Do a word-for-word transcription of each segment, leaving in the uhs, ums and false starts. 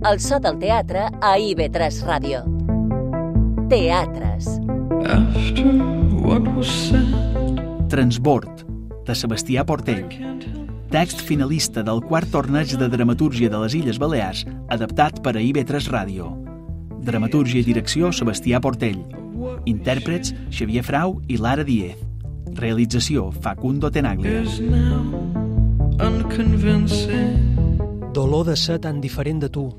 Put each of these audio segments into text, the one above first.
El so del teatre a I V tres Ràdio. Teatres. Transbord, de Sebastià Portell. Text finalista del quart torneig de dramatúrgia de les Illes Balears, adaptat per a I V tres Ràdio. Dramatúrgia i direcció, Sebastià Portell. Intèrprets, Xavier Frau i Lara Díez. Realització, Facundo Tenaglia. Dolor de ser tan diferent de tu.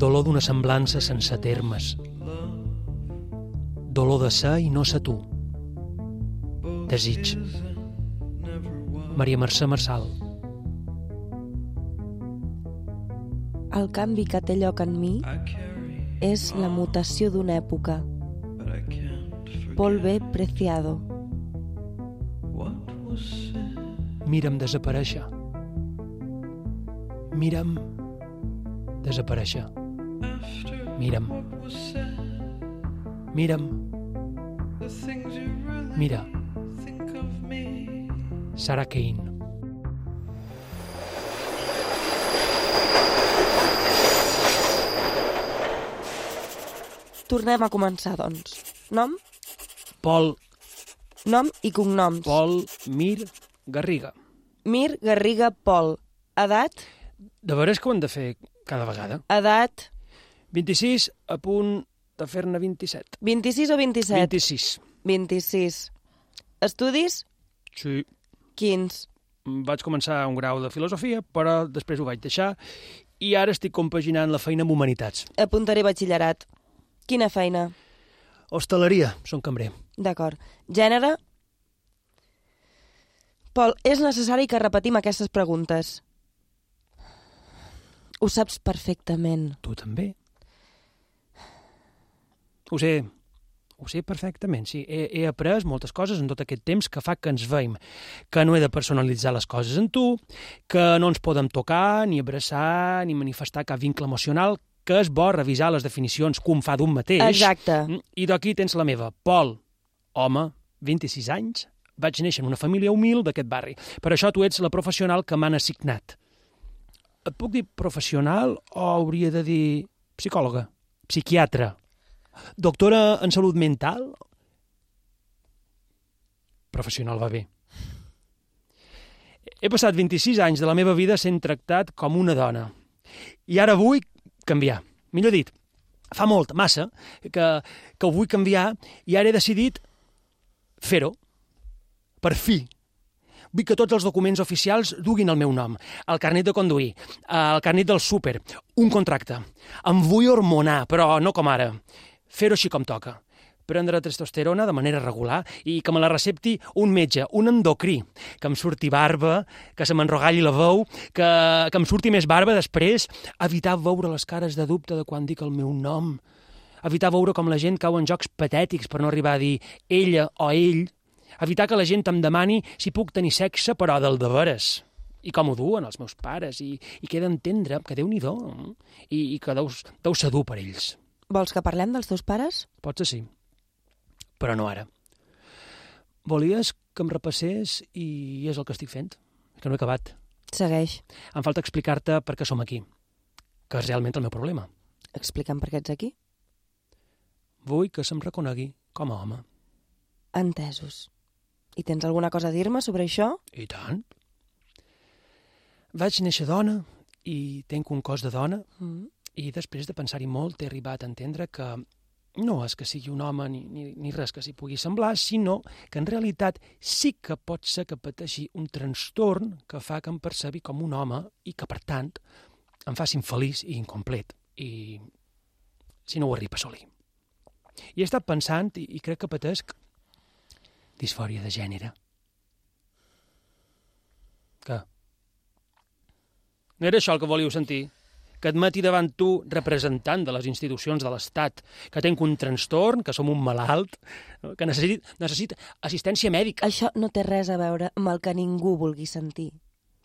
Dolor d'una semblança sense termes. Dolor de ser i no ser tu. Desig. Maria Mercè Marçal. El canvi que té lloc en mi és la mutació d'una època. Polve preciado. Mira'm desaparèixer. Mira'm desaparèixer. Mira'm. Mira'm. Mira. Sarah Kane. Tornem a començar, doncs. Nom? Pol. Nom i cognoms. Pol Mir Garriga. Mir Garriga Pol. Edat? De veres que ho hem de fer cada vegada. Edat? vint-i-sis a punt de fer-ne vint-i-set. vint-i-sis o vint-i-set? vint-i-sis. vint-i-sis. Estudis? Sí. Quins? Vaig començar un grau de filosofia, però després ho vaig deixar i ara estic compaginant la feina amb humanitats. Apuntaré batxillerat. Quina feina? Hostaleria, som cambrer. D'acord. Gènere? Pol, és necessari que repetim aquestes preguntes. Ho saps perfectament. Tu també? Ho sé, ho sé perfectament, sí. He, he après moltes coses en tot aquest temps que fa que ens veiem, que no he de personalitzar les coses en tu, que no ens podem tocar, ni abraçar, ni manifestar cap vincle emocional, que és bo revisar les definicions que un fa d'un mateix. Exacte. I d'aquí tens la meva. Pol, home, vint-i-sis anys, vaig néixer en una família humil d'aquest barri. Per això tu ets la professional que m'han assignat. Et puc dir professional o hauria de dir psicòloga, psiquiatra, doctora en salut mental? Professional va bé. He passat vint-i-sis anys de la meva vida sent tractat com una dona. I ara vull canviar. Millor dit, fa molt, massa, que, que ho vull canviar i ara he decidit fer-ho. Per fi. Vull que tots els documents oficials duguin el meu nom, el carnet de conduir, el carnet del súper, un contracte. Em vull hormonar, però no com ara. Fer-ho així com toca. Prendre testosterona de manera regular i que me la recepti un metge, un endocrí, que em surti barba, que se m'enrogalli la veu, que, que em surti més barba després, evitar veure les cares de dubte de quan dic el meu nom, evitar veure com la gent cau en jocs patètics per no arribar a dir ella o ell, evitar que la gent em demani si puc tenir sexe, però del de veres. I com ho duen els meus pares, i, i què he d'entendre, que Déu-n'hi-do, i, i que deus, deu ser dur per ells. Vols que parlem dels teus pares? Potser sí, però no ara. Volies que em repassés i és el que estic fent, que no he acabat. Segueix. Em falta explicar-te per què som aquí, que és realment el meu problema. Explica'm per què ets aquí. Vull que se'm reconegui com a home. Entesos. I tens alguna cosa a dir-me sobre això? I tant. Vaig néixer dona i tenc un cos de dona mm. i després de pensar-hi molt he arribat a entendre que no és que sigui un home ni, ni, ni res que s'hi pugui semblar, sinó que en realitat sí que pot ser que pateixi un trastorn que fa que em percebi com un home i que, per tant, em faci infeliç i incomplet. I si no ho arriba a assolir. I he estat pensant i, i crec que patesc disfòria de gènere. Què? No era això el que volíeu sentir? Que admeti davant tu, representant de les institucions de l'Estat, que tenc un trastorn, que som un malalt, que necessit, necessita assistència mèdica. Això no té res a veure amb el que ningú vulgui sentir,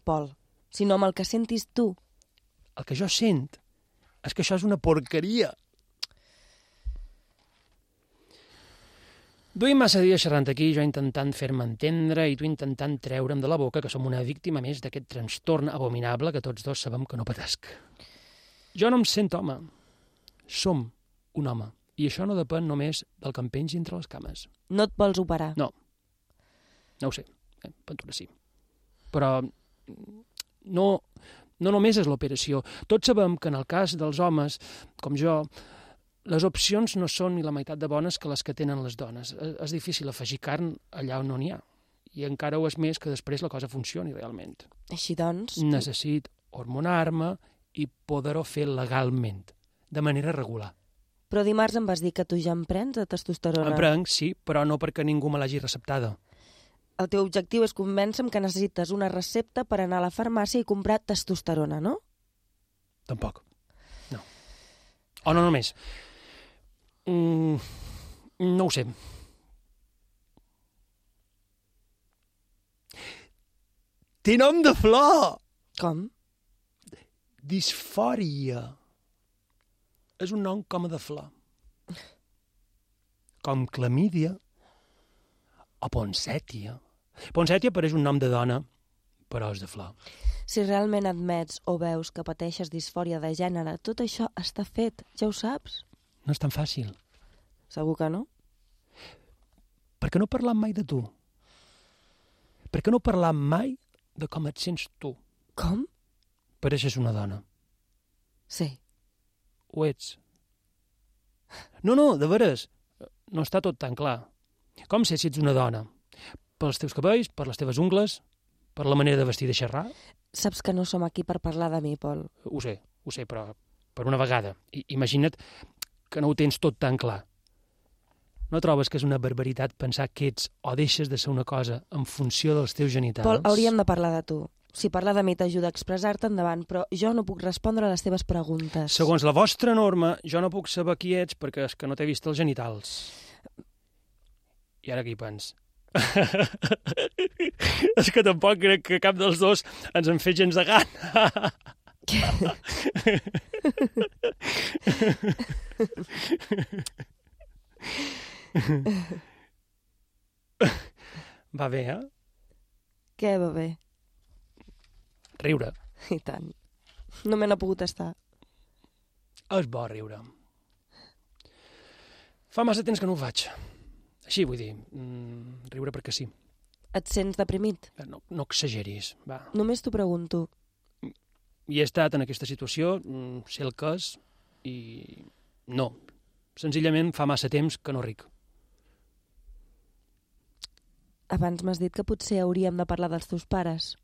Pol, sinó amb el que sentis tu. El que jo sent és que això és una porqueria. Duim massa dies xerrant aquí, jo intentant fer-me entendre i tu intentant treure'm de la boca que som una víctima més d'aquest trastorn abominable que tots dos sabem que no patesc. Jo no em sento home. Som un home. I això no depèn només del que em pengi entre les cames. No et vols operar? No. No ho sé. Eh, Ventura sí. Però no, no només és l'operació. Tots sabem que en el cas dels homes, com jo, les opcions no són ni la meitat de bones que les que tenen les dones. És difícil afegir carn allà on no n'hi ha. I encara ho és més que després la cosa funcioni realment. Així doncs... Necessit hormonar-me i poder-ho fer legalment, de manera regular. Però dimarts em vas dir que tu ja en prens de testosterona. En prenc, sí, però no perquè ningú me l'hagi receptada. El teu objectiu és convèncer-me que necessites una recepta per anar a la farmàcia i comprar testosterona, no? Tampoc. No. O no només. Mm, no ho sé. Té nom de flor! Com? Disfòria. És un nom com a de flor. Com clamídia o ponsètia. Ponsètia pareix un nom de dona, però és de flor. Si realment admets o veus que pateixes disfòria de gènere, tot això està fet, ja ho saps? No és tan fàcil. Segur que no? Per què no parlam mai de tu? Per què no parlam mai de com et sents tu? Com? Pareixes una dona. Sí. Ho ets. No, no, de veres. No està tot tan clar. Com sé si ets una dona? Pels teus cabells, per les teves ungles, per la manera de vestir i de xerrar? Saps que no som aquí per parlar de mi, Pol. Ho sé, ho sé, però per una vegada. I, imagina't que no ho tens tot tan clar. No trobes que és una barbaritat pensar que ets o deixes de ser una cosa en funció dels teus genitals? Pol, hauríem de parlar de tu. Si parlar de mi t'ajuda a expressar-te, endavant, però jo no puc respondre a les teves preguntes. Segons la vostra norma, jo no puc saber qui ets perquè és que no t'he vist els genitals. I ara què hi pens? És que tampoc crec que cap dels dos ens en fet gens de gana. Va bé, eh? Què va bé? Riure. I tant. No me n'ha pogut estar. És bo riure. Fa massa temps que no ho faig. Així, vull dir, mm, riure perquè sí. Et sents deprimit? No, no exageris, va. Només t'ho pregunto. I he estat en aquesta situació, mm, sé el que és, i no. Senzillament fa massa temps que no ric. Abans m'has dit que potser hauríem de parlar dels teus pares.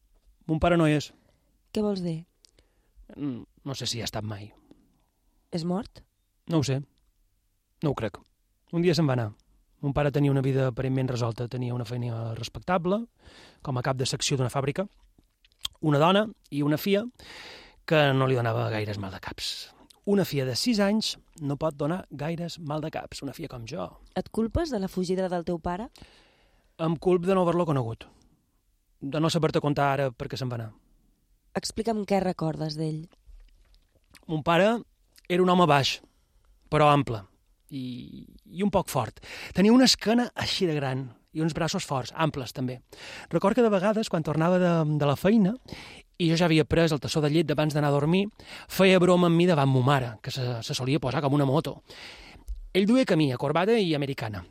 Mon pare no hi és. Què vols dir? Mm, No sé si hi ha estat mai. És mort? No ho sé. No ho crec. Un dia se'n va anar. Mon pare tenia una vida aparentment resolta. Tenia una feina respectable, com a cap de secció d'una fàbrica, una dona i una filla que no li donava gaires mal de caps. Una filla de sis anys no pot donar gaires mal de caps, una filla com jo. Et culpes de la fugida del teu pare? Em culp de no haver-lo conegut, de no saber-te contar ara per què se'n va anar. Explica'm què recordes d'ell. Mon pare era un home baix, però ample, i, i un poc fort. Tenia una esquena així de gran i uns braços forts, amples també. Record que de vegades, quan tornava de, de la feina, i jo ja havia pres el tassó de llet d'abans d'anar a dormir, feia broma amb mi davant mo mare, que se, se solia posar com una moto. Ell duia camí, corbata i americana.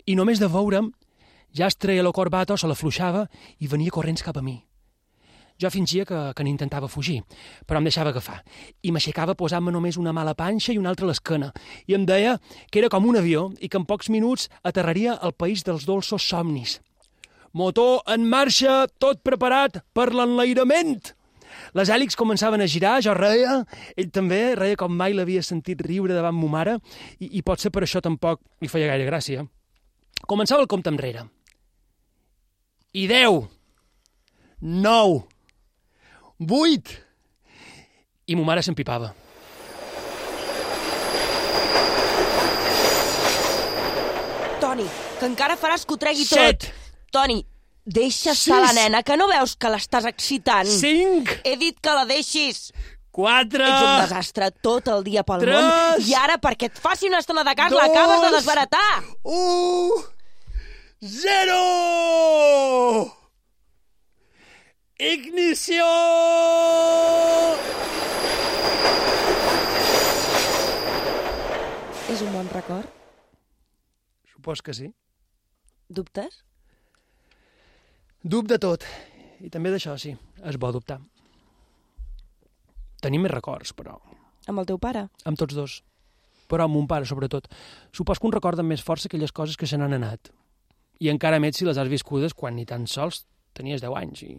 I només de veure'm, ja es treia la corbata o se l'afluixava i venia corrents cap a mi. Jo fingia que, que n'intentava fugir, però em deixava agafar. I m'aixecava posant-me només una mà a la panxa i una altra a l'esquena. I em deia que era com un avió i que en pocs minuts aterraria al país dels dolços somnis. Motor en marxa, tot preparat per l'enlairament! Les hèlixs començaven a girar, jo reia, ell també reia com mai l'havia sentit riure davant mo mare, i, i potser per això tampoc li feia gaire gràcia. Començava el compte enrere. I deu, nou, vuit, i mo mare s'empipava. Toni, que encara faràs que ho tregui Set. tot. Toni, deixa estar la nena, que no veus que l'estàs excitant? Cinc, He dit que la deixis. quatre, Ets un desastre tot el dia pel Tres. món i ara perquè et faci una estona de cas Dos. l'acabes de desbaratar. un, zero! Ignició! És un bon record? Supos que sí. Dubtes? Dubte de tot. I també d'això, sí. És bo dubtar. Tenim més records, però... Amb el teu pare? Amb tots dos. Però amb mon pare, sobretot. Supos que un recorda amb més força aquelles coses que se n'han anat. I encara més si les has viscudes quan ni tan sols tenies deu anys i,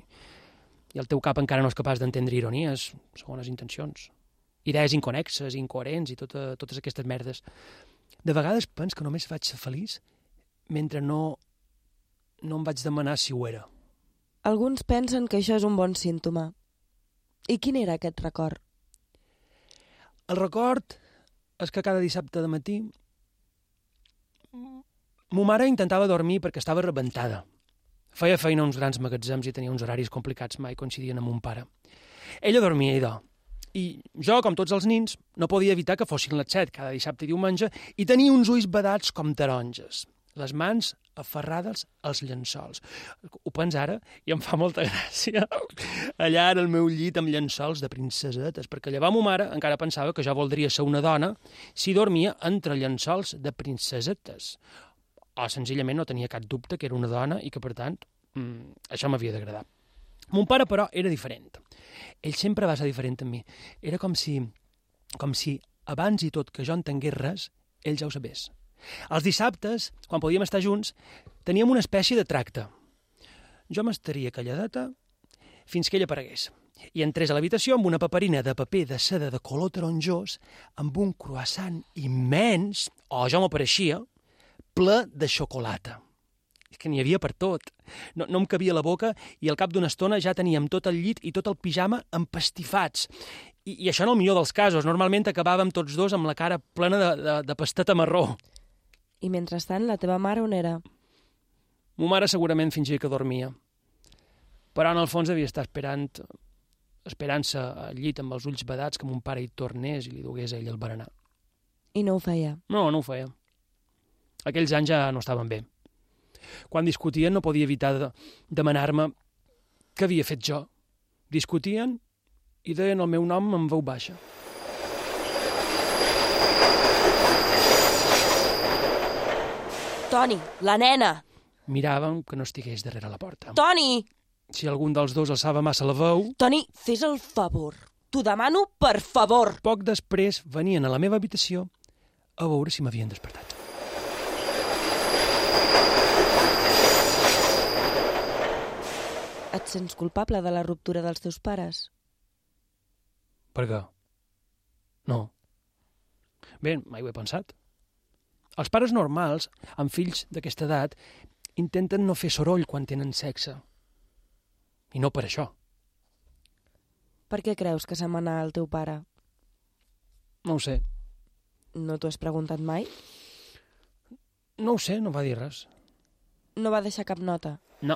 i el teu cap encara no és capaç d'entendre ironies, segones intencions, idees inconexes, incoherents i tota, totes aquestes merdes. De vegades pens que només vaig ser feliç mentre no, no em vaig demanar si ho era. Alguns pensen que això és un bon símptoma. I quin era aquest record? El record és que cada dissabte de matí mo mare intentava dormir perquè estava rebentada. Feia feina a uns grans magatzems i tenia uns horaris complicats, mai coincidien amb mon pare. Ella dormia, idò. I jo, com tots els nins, no podia evitar que fossin les set cada dissabte i diumenge i tenia uns ulls vedats com taronges, les mans aferrades als llençols. Ho pens ara i em fa molta gràcia. Allà era el meu llit amb llençols de princesetes, perquè llavors ma mare encara pensava que jo voldria ser una dona si dormia entre llençols de princesetes. O senzillament no tenia cap dubte que era una dona i que, per tant, mmm, això m'havia d'agradar. Mon pare, però, era diferent. Ell sempre va ser diferent amb mi. Era com si, com si abans i tot que jo entengués res, ell ja ho sabés. Els dissabtes, quan podíem estar junts, teníem una espècie de tracte. Jo m'estaria calladeta fins que ell aparegués i entrés a l'habitació amb una paperina de paper de seda de color taronjós, amb un croissant immens, o jo m'apareixia, ple de xocolata. És que n'hi havia per tot. No, no em cabia la boca i al cap d'una estona ja teníem tot el llit i tot el pijama empastifats. I, i això en el millor dels casos. Normalment acabàvem tots dos amb la cara plena de, de, de pasteta marró. I mentrestant, la teva mare on era? Mo mare segurament fingia que dormia. Però en el fons devia estar esperant esperant-se al llit amb els ulls vedats que mon pare hi tornés i li dugués a ell el berenar. I no ho feia? No, no ho feia. Aquells anys ja no estaven bé. Quan discutien no podia evitar de demanar-me què havia fet jo. Discutien i deien el meu nom en veu baixa. Toni, la nena! Miraven que no estigués darrere la porta. Toni! Si algun dels dos alçava massa la veu... Toni, fes el favor. T'ho demano per favor. Poc després venien a la meva habitació a veure si m'havien despertat. Et sents culpable de la ruptura dels teus pares? Per què? No. Bé, mai ho he pensat. Els pares normals, amb fills d'aquesta edat, intenten no fer soroll quan tenen sexe. I no per això. Per què creus que se'n va anar el teu pare? No ho sé. No t'ho has preguntat mai? No ho sé, no va dir res. No va deixar cap nota? No.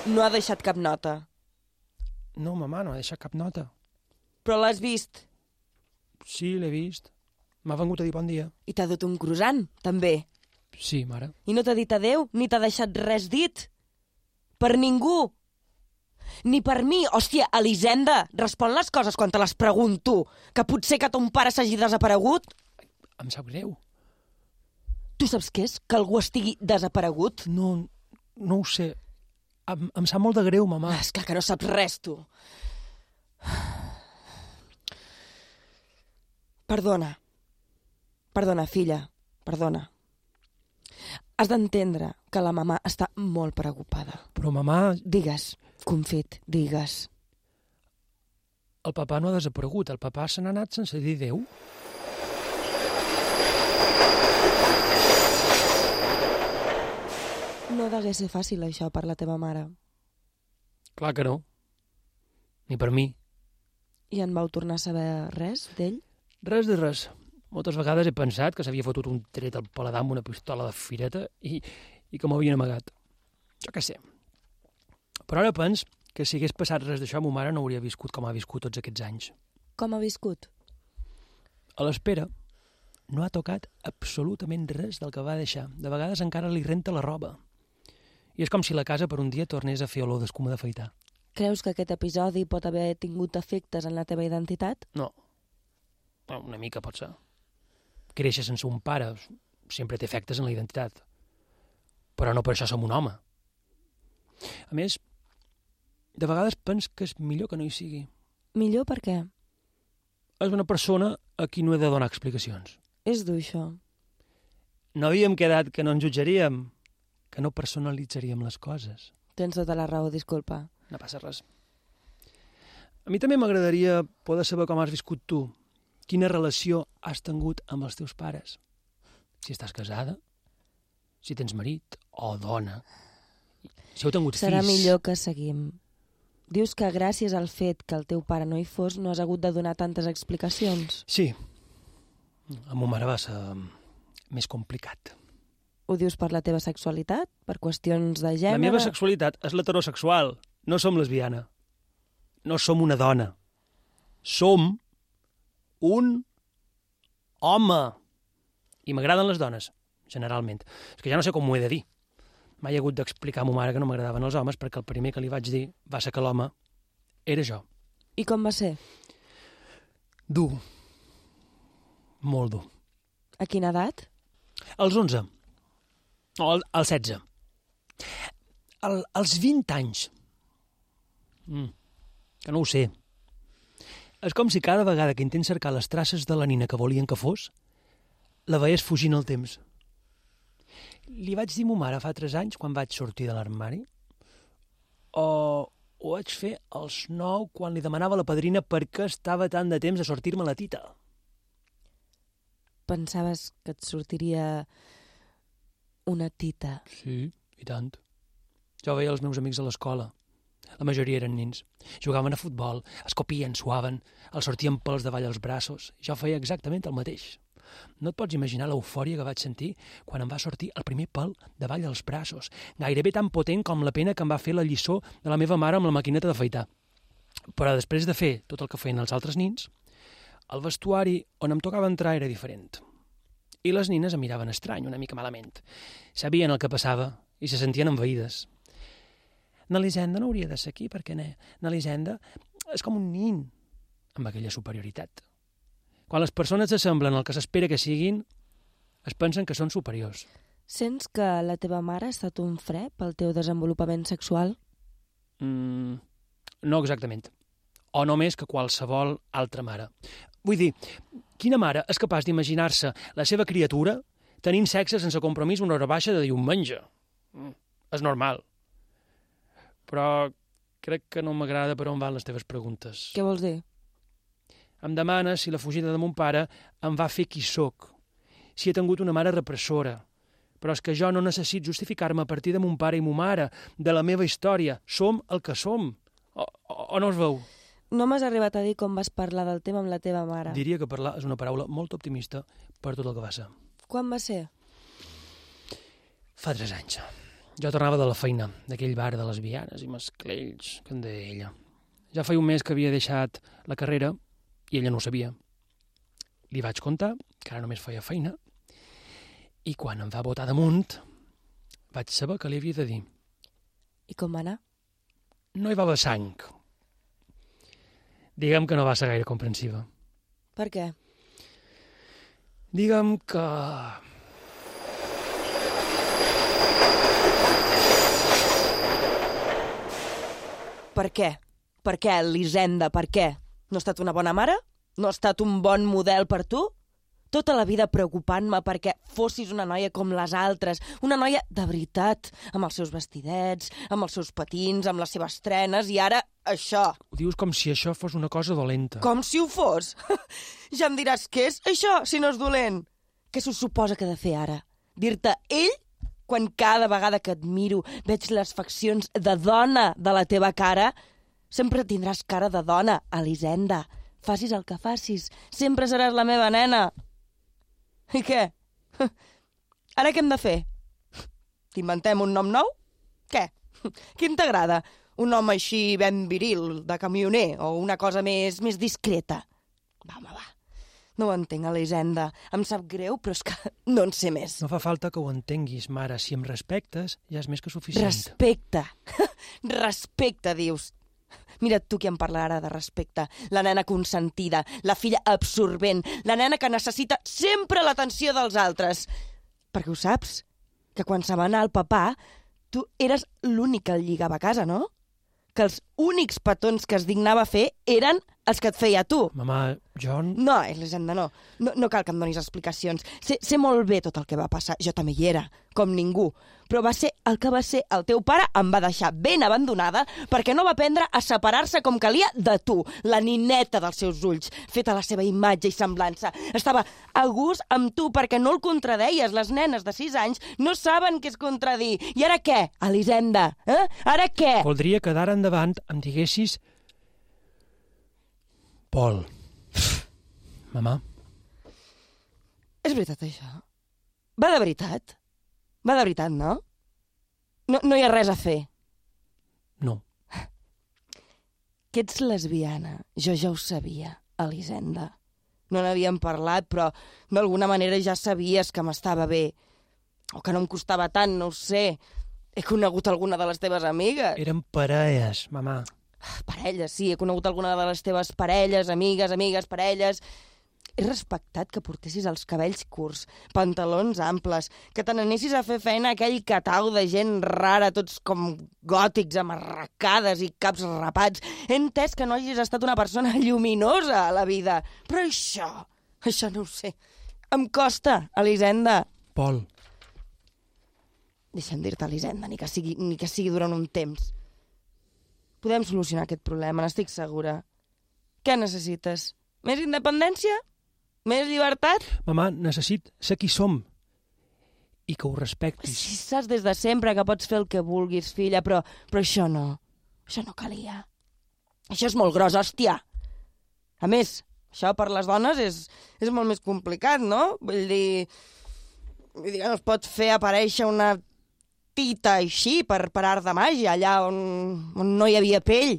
No ha deixat cap nota? No, mamà, no ha deixat cap nota. Però l'has vist? Sí, l'he vist. M'ha vengut a dir bon dia. I t'ha dut un croissant, també. Sí, mare. I no t'ha dit adéu, ni t'ha deixat res dit. Per ningú. Ni per mi. Hòstia, Elisenda, respon les coses quan te les pregunto. Que potser que ton pare s'hagi desaparegut? Em sap greu. Tu saps què és? Que algú estigui desaparegut? No, no ho sé. Em, em sap molt de greu, mamà. És clar que no saps res, tu. Perdona. Perdona, filla. Perdona. Has d'entendre que la mamà està molt preocupada. Però, mamà... Digues, confit, digues. El papà no ha desaparegut. El papà se n'ha anat sense dir adéu. No degué ser fàcil, això, per la teva mare. Clar que no. Ni per mi. I en vau tornar a saber res d'ell? Res de res. Moltes vegades he pensat que s'havia fotut un tret al paladar amb una pistola de fireta i, i que m'havien amagat. Jo què sé. Però ara pens que si hagués passat res d'això, ma mare no hauria viscut com ha viscut tots aquests anys. Com ha viscut? A l'espera, no ha tocat absolutament res del que va deixar. De vegades encara li renta la roba. I és com si la casa per un dia tornés a fer olor d'escuma d'afaitar. Creus que aquest episodi pot haver tingut efectes en la teva identitat? No. Bueno, una mica pot ser. Créixer sense un pare sempre té efectes en la identitat. Però no per això som un home. A més, de vegades pens que és millor que no hi sigui. Millor per què? És una persona a qui no he de donar explicacions. És dur, això. No havíem quedat que no ens jutjaríem, que no personalitzaríem les coses. Tens tota la raó, disculpa. No passa res. A mi també m'agradaria poder saber com has viscut tu, quina relació has tingut amb els teus pares. Si estàs casada, si tens marit o dona, si heu tingut Serà fills... millor que seguim. Dius que gràcies al fet que el teu pare no hi fos no has hagut de donar tantes explicacions. Sí. Amb ma mare va ser més complicat. Ho dius per la teva sexualitat? Per qüestions de gènere? La meva sexualitat és l'heterosexual. No som lesbiana. No som una dona. Som un home. I m'agraden les dones, generalment. És que ja no sé com ho he de dir. Mai he hagut d'explicar a ma mare que no m'agradaven els homes perquè el primer que li vaig dir va ser que l'home era jo. I com va ser? Dur. Molt dur. A quina edat? Als onze. O al, als setze. Al, als vint anys. Mm, que no ho sé. És com si cada vegada que intents cercar les traces de la nina que volien que fos, la veies fugint el temps. Li vaig dir a ma mare fa tres anys, quan vaig sortir de l'armari, o ho vaig fer als nou, quan li demanava a la padrina per què estava tant de temps a sortir-me la tita. Pensaves que et sortiria una tita? Sí, i tant. Jo veia els meus amics a l'escola. La majoria eren nins. Jugaven a futbol, es copien, suaven, els sortien pels davall als braços. Jo feia exactament el mateix. No et pots imaginar l'eufòria que vaig sentir quan em va sortir el primer pèl davall dels braços, gairebé tan potent com la pena que em va fer la lliçó de la meva mare amb la maquineta d'afaitar. Però després de fer tot el que feien els altres nins, el vestuari on em tocava entrar era diferent. I les nines em miraven estrany, una mica malament. Sabien el que passava i se sentien envaïdes. N'Elisenda no hauria de ser aquí, perquè n'Elisenda és com un nin amb aquella superioritat. Quan les persones s'assemblen al que s'espera que siguin, es pensen que són superiors. Sents que la teva mare ha estat un fre pel teu desenvolupament sexual? Mm, no exactament. O no més que qualsevol altra mare. Vull dir, quina mare és capaç d'imaginar-se la seva criatura tenint sexe sense compromís una hora baixa de diumenge? Mm, és normal. Però crec que no m'agrada per on van les teves preguntes. Què vols dir? Em demanes si la fugida de mon pare em va fer qui sóc, si he tingut una mare repressora. Però és que jo no necessito justificar-me a partir de mon pare i mo mare, de la meva història. Som el que som. O, o, o no es veu? No m'has arribat a dir com vas parlar del tema amb la teva mare. Diria que parlar és una paraula molt optimista per tot el que va ser. Quan va ser? Fa tres anys. Jo tornava de la feina, d'aquell bar de lesbianes i masclells, que en deia ella. Ja feia un mes que havia deixat la carrera i ella no ho sabia. Li vaig contar que ara només feia feina i quan em va botar damunt vaig saber que li havia de dir. I com va anar? No hi va haver sang. Digue'm que no va ser gaire comprensiva. Per què? Digue'm que... Per què? Per què, Elisenda, per què? No ha estat una bona mare? No ha estat un bon model per tu? Tota la vida preocupant-me perquè fossis una noia com les altres, una noia de veritat, amb els seus vestidets, amb els seus patins, amb les seves trenes, i ara això. Ho dius com si això fos una cosa dolenta. Com si ho fos? Ja em diràs què és això, si no és dolent. Què s'ho suposa que he de fer ara? Dir-te ell? Quan cada vegada que et miro veig les faccions de dona de la teva cara, sempre tindràs cara de dona, Elisenda. Facis el que facis, sempre seràs la meva nena. I què? Ara què hem de fer? T'inventem un nom nou? Què? Quin t'agrada? Un nom així ben viril, de camioner, o una cosa més, més discreta? Va, home, va. No ho entenc, Elisenda. Em sap greu, però és que no en sé més. No fa falta que ho entenguis, mare. Si em respectes, ja és més que suficient. Respecte. Respecte, dius. Mira tu qui em parla ara de respecte. La nena consentida, la filla absorbent, la nena que necessita sempre l'atenció dels altres. Perquè ho saps? Que quan se va anar el papà, tu eres l'únic que el lligava a casa, no? Que els únics petons que es dignava fer eren els que et feia tu. Mamà, jo... No, Elisenda, no. no. No cal que em donis explicacions. Sé, sé molt bé tot el que va passar. Jo també hi era, com ningú. Però va ser el que va ser. El teu pare em va deixar ben abandonada perquè no va aprendre a separar-se com calia de tu, la nineta dels seus ulls, feta a la seva imatge i semblança. Estava a gust amb tu perquè no el contradeies. Les nenes de sis anys no saben què és contradir. I ara què, Elisenda? Eh? Ara què? Voldria que d'ara endavant em diguessis... Pol. Mamà. És veritat, això? Va de veritat? Va de veritat, no? No, no hi ha res a fer. No. Que ets lesbiana. Jo ja ho sabia, Elisenda. No n'havíem parlat, però d'alguna manera ja sabies que m'estava bé. O que no em costava tant, no ho sé. He conegut alguna de les teves amigues. Eren parelles, mamà. Parelles, sí, he conegut alguna de les teves parelles, amigues, amigues, parelles. He respectat que portessis els cabells curts, pantalons amples, que te n'anessis a fer feina a aquell catau de gent rara, tots com gòtics, amb arracades i caps rapats. He entès que no hagis estat una persona lluminosa a la vida. Però això, això no ho sé. Em costa, Elisenda. Pol. Deixa'm dir-te, Elisenda, ni que sigui, ni que sigui durant un temps. Podem solucionar aquest problema, n'estic segura. Què necessites? Més independència? Més llibertat? Mamà, necessit ser qui som i que ho respectis. Si saps des de sempre que pots fer el que vulguis, filla, però, però això no. Això no calia. Això és molt gros, hòstia. A més, això per les dones és, és molt més complicat, no? Vull dir... Vull dir que no es pot fer aparèixer una tita així per, per art de màgia, allà on, on no hi havia pell.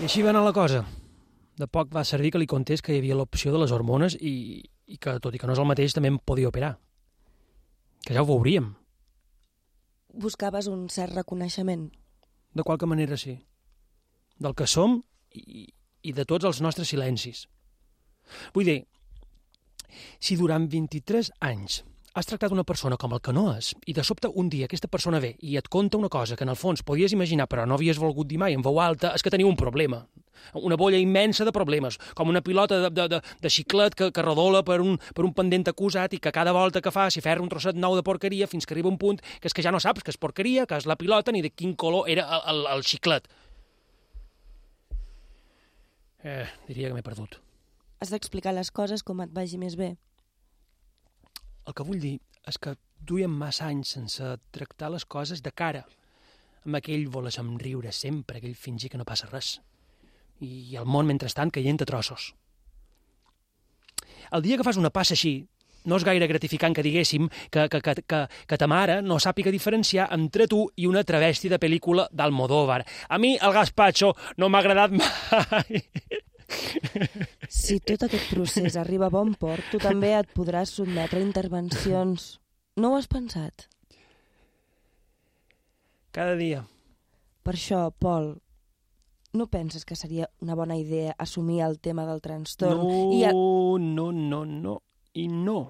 I així va anar la cosa. De poc va servir que li contés que hi havia l'opció de les hormones i, i que, tot i que no és el mateix, també em podia operar. Que ja ho veuríem. Buscaves un cert reconeixement? De qualque manera, sí. Del que som i, i de tots els nostres silencis. Vull dir, si durant vint-i-tres anys has tractat una persona com el que no és i de sobte un dia aquesta persona ve i et conta una cosa que en el fons podies imaginar però no havies volgut dir mai en veu alta, és que teniu un problema. Una bolla immensa de problemes, com una pilota de, de, de, de xiclet que, que rodola per un, per un pendent acusat i que cada volta que fa s'hi ferra un trosset nou de porqueria fins que arriba un punt que és que ja no saps que és porqueria, que és la pilota ni de quin color era el, el, el xiclet. Eh, diria que m'he perdut. Has d'explicar les coses com et vagi més bé. El que vull dir és que duiem massa anys sense tractar les coses de cara, amb aquell voler somriure sempre, aquell fingir que no passa res. I el món, mentrestant, caient a trossos. El dia que fas una passa així, no és gaire gratificant que diguéssim que, que, que, que, que ta mare no sàpiga diferenciar entre tu i una travesti de pel·lícula d'Almodóvar. A mi el gazpacho no m'ha agradat mai. Si tot aquest procés arriba a bon port, tu també et podràs sotmetre a intervencions. No ho has pensat? Cada dia. Per això, Pol, no penses que seria una bona idea assumir el tema del trastorn? No, i a... no, no, no i no.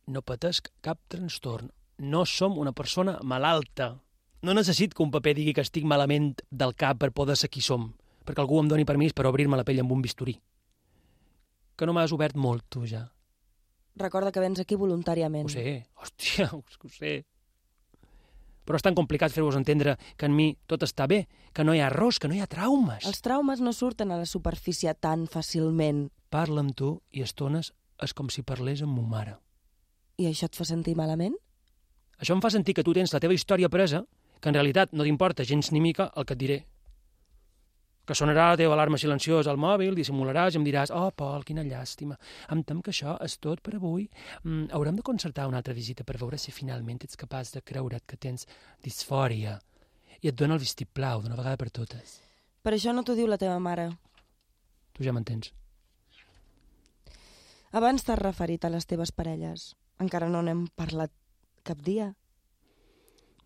No patesc cap trastorn. No som una persona malalta. No necessit que un paper digui que estic malament del cap per poder ser qui som, perquè algú em doni permís per obrir-me la pell amb un bisturí. Que no m'has obert molt, tu, ja. Recorda que vens aquí voluntàriament. Ho sé, hòstia, ho sé. Però és tan complicat fer-vos entendre que en mi tot està bé, que no hi ha errors, que no hi ha traumes. Els traumes no surten a la superfície tan fàcilment. Parla amb tu i a estones és com si parlés amb ma mare. I això et fa sentir malament? Això em fa sentir que tu tens la teva història presa, que en realitat no t'importa gens ni mica el que et diré. Que sonarà la teva alarma silenciosa al mòbil, dissimularàs i em diràs «Oh, Pol, quina llàstima. Em tem que això és tot per avui. Mm, haurem de concertar una altra visita per veure si finalment ets capaç de creure't que tens disfòria i et dona el vistiplau d'una vegada per totes. Per això no t'ho diu la teva mare. Tu ja m'entens. Abans t'has referit a les teves parelles. Encara no n'hem parlat cap dia.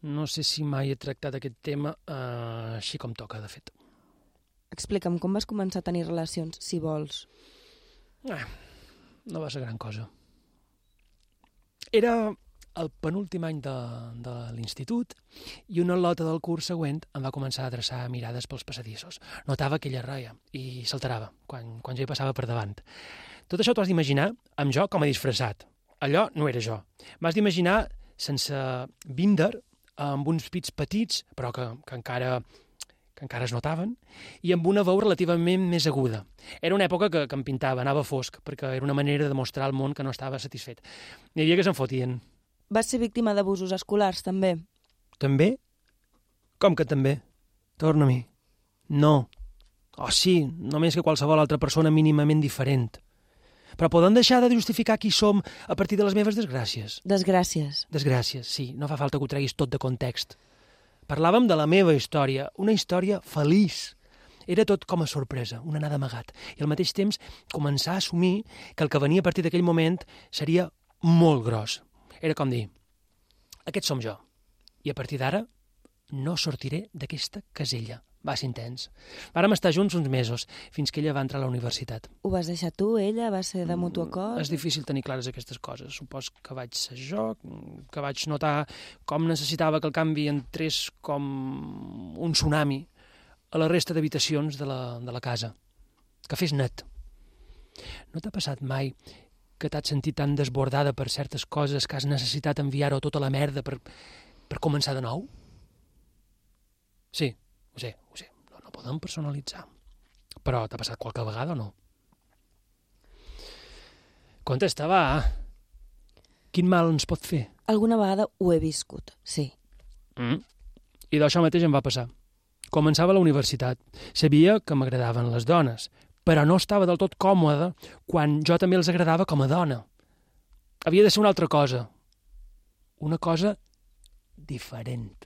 No sé si mai he tractat aquest tema eh, així com toca, de fet. Explica'm com vas començar a tenir relacions, si vols. Eh, no va ser gran cosa. Era el penúltim any de, de l'institut i una lota del curs següent em va començar a adreçar mirades pels passadissos. Notava que ella reia i s'alterava quan, quan jo hi passava per davant. Tot això t'ho has d'imaginar amb jo com a disfressat. Allò no era jo. M'has d'imaginar sense binder, amb uns pits petits, però que, que encara... que encara es notaven, i amb una veu relativament més aguda. Era una època que, que em pintava, anava fosc, perquè era una manera de mostrar al món que no estava satisfet. N'hi havia que se'n fotien. Vas ser víctima d'abusos escolars, també? També? Com que també? Torna-m'hi. No. Oh, sí, només que qualsevol altra persona mínimament diferent. Però poden deixar de justificar qui som a partir de les meves desgràcies? Desgràcies. Desgràcies, sí. No fa falta que ho treguis tot de context. Parlàvem de la meva història, una història feliç. Era tot com a sorpresa, un anar d'amagat. I al mateix temps començar a assumir que el que venia a partir d'aquell moment seria molt gros. Era com dir, aquest som jo. I a partir d'ara no sortiré d'aquesta casella. Va ser intens. Vàrem estar junts uns mesos, fins que ella va entrar a la universitat. Ho vas deixar tu, ella? Va ser de mutu acord? És difícil tenir clares aquestes coses. Supos que vaig ser jo, que vaig notar com necessitava que el canvi entrés com un tsunami a la resta d'habitacions de, la, de la casa. Que fes net. No t'ha passat mai que t'has sentit tan desbordada per certes coses que has necessitat enviar-ho tota la merda per, per començar de nou? Sí. Ho sé, ho sé, no, no podem personalitzar. Però t'ha passat qualque vegada o no? Contesta, va. Quin mal ens pot fer? Alguna vegada ho he viscut, sí. Mm. I d'això mateix em va passar. Començava la universitat. Sabia que m'agradaven les dones, però no estava del tot còmoda quan jo també els agradava com a dona. Havia de ser una altra cosa. Una cosa diferent.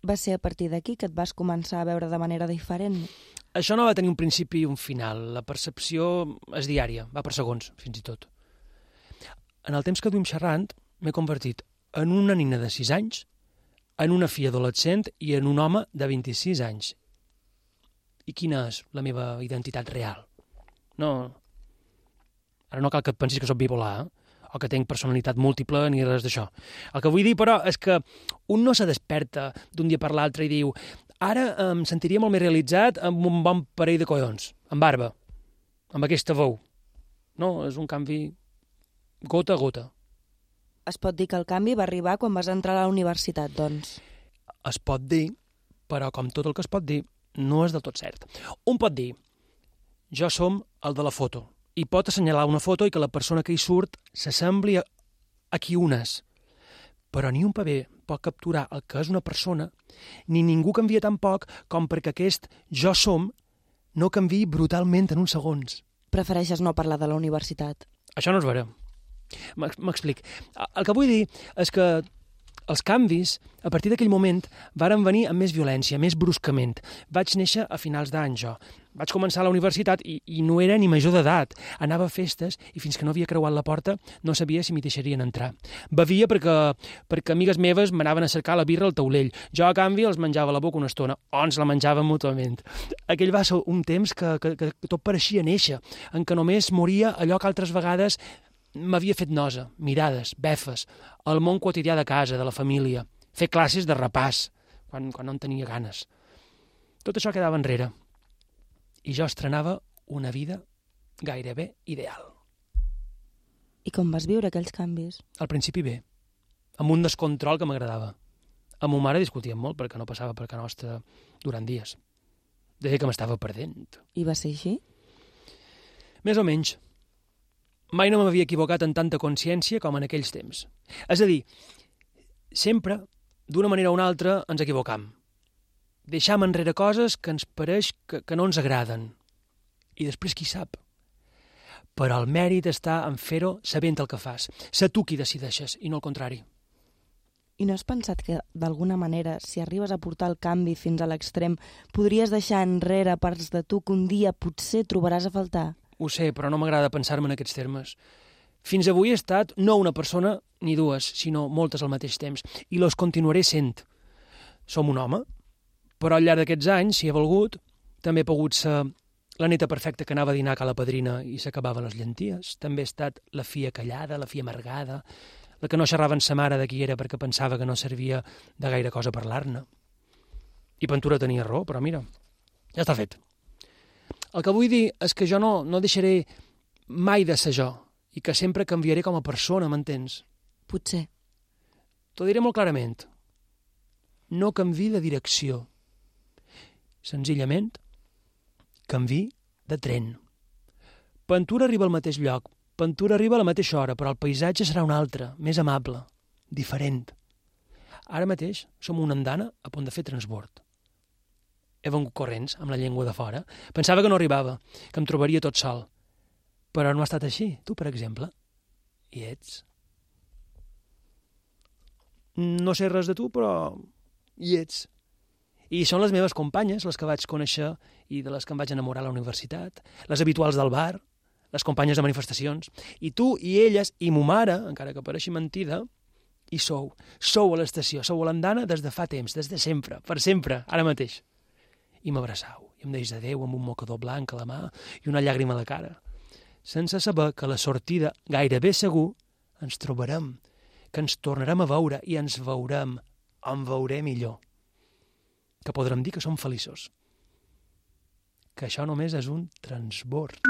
Va ser a partir d'aquí que et vas començar a veure de manera diferent? Això no va tenir un principi i un final. La percepció és diària, va per segons, fins i tot. En el temps que duim xerrant, m'he convertit en una nina de sis anys, en una filla adolescent i en un home de vint-i-sis anys. I quina és la meva identitat real? No... Ara no cal que et pensis que soc bipolar, eh? O que tenc personalitat múltiple ni res d'això. El que vull dir, però, és que un no se desperta d'un dia per l'altre i diu ara em sentiria molt més realitzat amb un bon parell de collons, amb barba, amb aquesta veu. No, és un canvi gota a gota. Es pot dir que el canvi va arribar quan vas entrar a la universitat, doncs. Es pot dir, però com tot el que es pot dir, no és del tot cert. Un pot dir, jo som el de la foto, i pot assenyalar una foto i que la persona que hi surt s'assembli a, a qui un és. Però ni un paper pot capturar el que és una persona, ni ningú canvia tan poc com perquè aquest jo som no canviï brutalment en uns segons. Prefereixes no parlar de la universitat? Això no és vera. M'explic. El que vull dir és que els canvis, a partir d'aquell moment, varen venir amb més violència, més bruscament. Vaig néixer a finals d'any, jo. Vaig començar a la universitat i, i no era ni major d'edat. Anava a festes i fins que no havia creuat la porta no sabia si m'hi deixarien entrar. Bevia perquè, perquè amigues meves m'anaven a cercar la birra al taulell. Jo, a canvi, els menjava a la boca una estona, o ens la menjàvem mútuament. Aquell va ser un temps que, que, que tot pareixia néixer, en què només moria allò que altres vegades m'havia fet nosa, mirades, befes, el món quotidià de casa, de la família, fer classes de repàs, quan, quan no en tenia ganes. Tot això quedava enrere. I jo estrenava una vida gairebé ideal. I com vas viure aquells canvis? Al principi bé, amb un descontrol que m'agradava. Amb ma mare discutíem molt perquè no passava per casa nostra durant dies. Deia que m'estava perdent. I va ser així? Més o menys. Mai no m'havia equivocat en tanta consciència com en aquells temps. És a dir, sempre, d'una manera o una altra, ens equivocam. Deixam enrere coses que ens pareix que, que no ens agraden. I després qui sap? Però el mèrit està en fer-ho sabent el que fas. Ser tu qui decideixes, i no el contrari. I no has pensat que, d'alguna manera, si arribes a portar el canvi fins a l'extrem, podries deixar enrere parts de tu que un dia potser trobaràs a faltar? Ho sé, però no m'agrada pensar-me en aquests termes. Fins avui he estat no una persona ni dues, sinó moltes al mateix temps, i los continuaré sent. Som un home, però al llarg d'aquests anys, si he volgut, també he pogut ser la neta perfecta que anava a dinar a la padrina i s'acabava les llenties. També he estat la filla callada, la filla amargada, la que no xerrava amb sa mare de qui era perquè pensava que no servia de gaire cosa parlar-ne. I Ventura tenia raó, però mira, ja està fet. El que vull dir és que jo no, no deixaré mai de ser jo i que sempre canviaré com a persona, m'entens? Potser. T'ho diré molt clarament. No canvi de direcció. Senzillament, canvi de tren. Ventura arriba al mateix lloc, Ventura arriba a la mateixa hora, però el paisatge serà un altre, més amable, diferent. Ara mateix som una andana a punt de fer transbord. He vengut corrents, amb la llengua de fora. Pensava que no arribava, que em trobaria tot sol. Però no ha estat així. Tu, per exemple, hi ets. No sé res de tu, però hi ets. I són les meves companyes, les que vaig conèixer i de les que em vaig enamorar a la universitat, les habituals del bar, les companyes de manifestacions, i tu i elles i mo mare, encara que pareixi mentida, hi sou. Sou a l'estació, sou a l'andana des de fa temps, des de sempre, per sempre, ara mateix. I m'abraçau, i em deix adéu amb un mocador blanc a la mà i una llàgrima a la cara, sense saber que a la sortida, gairebé segur, ens trobarem, que ens tornarem a veure i ens veurem, em veuré millor. Que podrem dir que som feliços. Que això només és un transbord.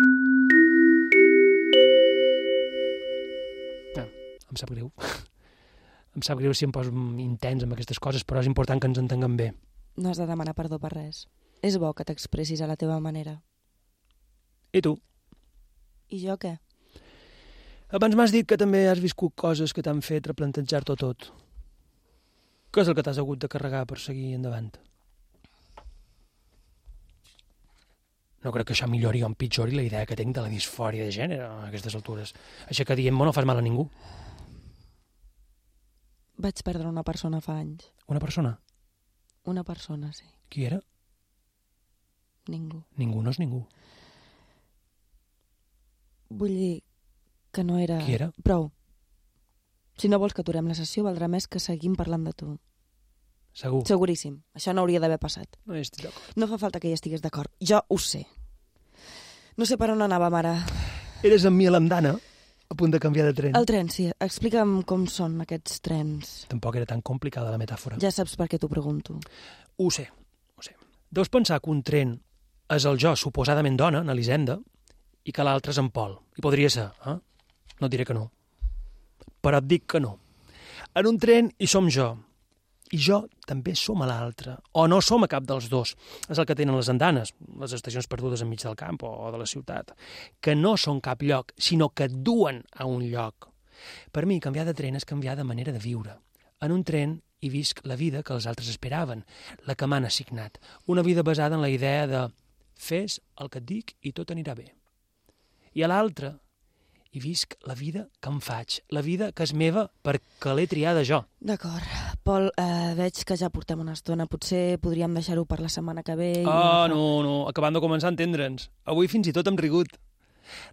Ah, em sap greu. Em sap greu si em poso intens amb aquestes coses, però és important que ens entenguem bé. No has de demanar perdó per res. És bo que t'expressis a la teva manera. I tu? I jo què? Abans m'has dit que també has viscut coses que t'han fet replantejar-t'ho tot. Què és el que t'has hagut de carregar per seguir endavant? No crec que això millori o empitjori la idea que tinc de la disfòria de gènere a aquestes altures. Així que dient-me no fas mal a ningú. Vaig perdre una persona fa anys. Una persona? Una persona, sí. Qui era? Ningú. Ningú no és ningú. Vull dir que no era... Qui era? Prou. Si no vols que aturem la sessió, valdrà més que seguim parlant de tu. Segur? Seguríssim. Això no hauria d'haver passat. No hi estic d'acord. No fa falta que hi estigués d'acord. Jo ho sé. No sé per on anàvem ara. Eres amb mi a l'andana, a punt de canviar de tren. El tren, sí. Explica'm com són aquests trens. Tampoc era tan complicada la metàfora. Ja saps per què t'ho pregunto. Ho sé, ho sé. Deus pensar que un tren és el jo suposadament dona, en Elisenda, i que l'altre és en Pol. I podria ser, eh? No et diré que no. Però et dic que no. En un tren hi som jo. I jo també som a l'altre. O no som a cap dels dos. És el que tenen les andanes, les estacions perdudes enmig del camp o de la ciutat, que no són cap lloc, sinó que et duen a un lloc. Per mi, canviar de tren és canviar de manera de viure. En un tren hi visc la vida que els altres esperaven, la que m'han assignat. Una vida basada en la idea de fes el que et dic i tot anirà bé. I a l'altre hi visc la vida que em faig, la vida que és meva perquè l'he triada jo. D'acord. Pol, eh, veig que ja portem una estona. Potser podríem deixar-ho per la setmana que ve. I... Ah, no, no, acabant de començar a entendre'ns. Avui fins i tot hem rigut.